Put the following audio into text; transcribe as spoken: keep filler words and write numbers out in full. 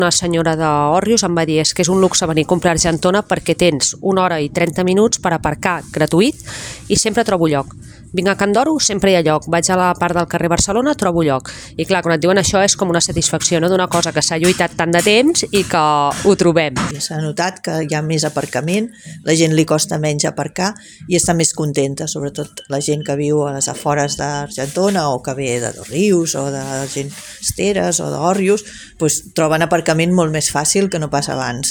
Una senyora d'Òrrius em va dir és que és un luxe venir a comprar a Argentona perquè tens una hora i trenta minuts per aparcar gratuït i sempre trobo lloc. Vinc a Can Doro, sempre hi ha lloc. Vaig a la part del carrer Barcelona, trobo lloc. I clar, quan et diuen això és com una satisfacció, no?, d'una cosa que s'ha lluitat tant de temps i que ho trobem. S'ha notat que hi ha més aparcament, la gent li costa menys aparcar i està més contenta, sobretot la gent que viu a les afores d'Argentona o que ve de Dosrius o de Esteres o d'Òrrius, doncs troben aparcament molt més fàcil que no pas abans.